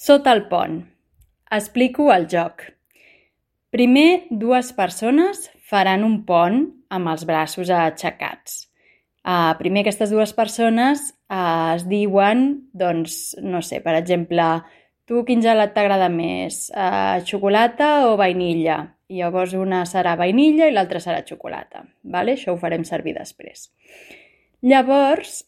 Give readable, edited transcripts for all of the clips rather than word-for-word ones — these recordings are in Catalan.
Sota el pont. Explico el joc. Primer, dues persones faran un pont amb els braços aixecats. Primer, aquestes dues persones es diuen, doncs, no sé, per exemple, tu quin gelat t'agrada més, xocolata o vainilla? I llavors una serà vainilla i l'altra serà xocolata. Vale? Això ho farem servir després. Llavors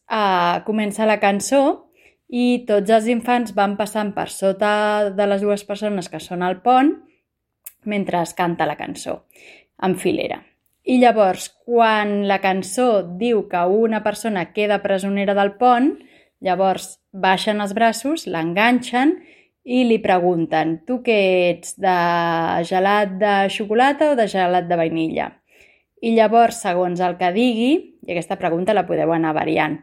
comença la cançó i tots els infants van passant per sota de les dues persones que són al pont mentre es canta la cançó, en filera. I llavors, quan la cançó diu que una persona queda presonera del pont, llavors baixen els braços, l'enganxen i li pregunten: tu què ets, de gelat de xocolata o de gelat de vainilla? I llavors, segons el que digui, i aquesta pregunta la podeu anar variant,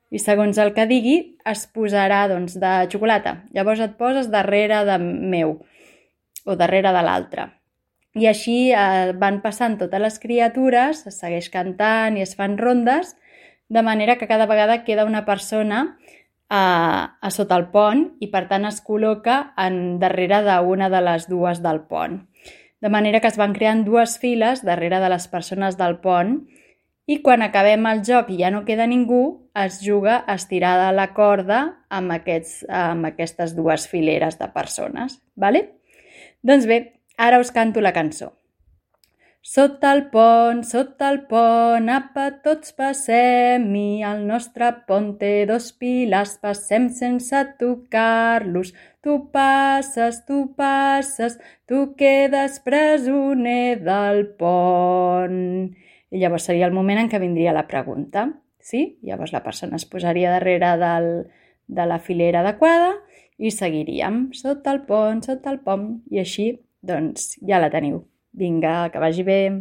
i segons el que digui es posarà doncs, de xocolata. Llavors et poses darrere de meu o darrere de l'altre. I així van passant totes les criatures, es segueix cantant i es fan rondes, de manera que cada vegada queda una persona a sota el pont i per tant es col·loca darrere d'una de les dues del pont. De manera que es van creant dues files darrere de les persones del pont i quan acabem el joc i ja no queda ningú, es juga a estirar de la corda amb aquestes dues fileres de persones. Vale? Doncs bé, ara us canto la cançó. Sota el pont, apa, tots passem-hi, el nostre pont té dos pilars, passem sense tocar-los. Tu passes, tu quedes presoner del pont. I llavors seria el moment en què vindria la pregunta, sí? Llavors la persona es posaria darrere de la filera adequada i seguiríem sota el pont, i així, doncs, ja la teniu. Vinga, que vagi bé!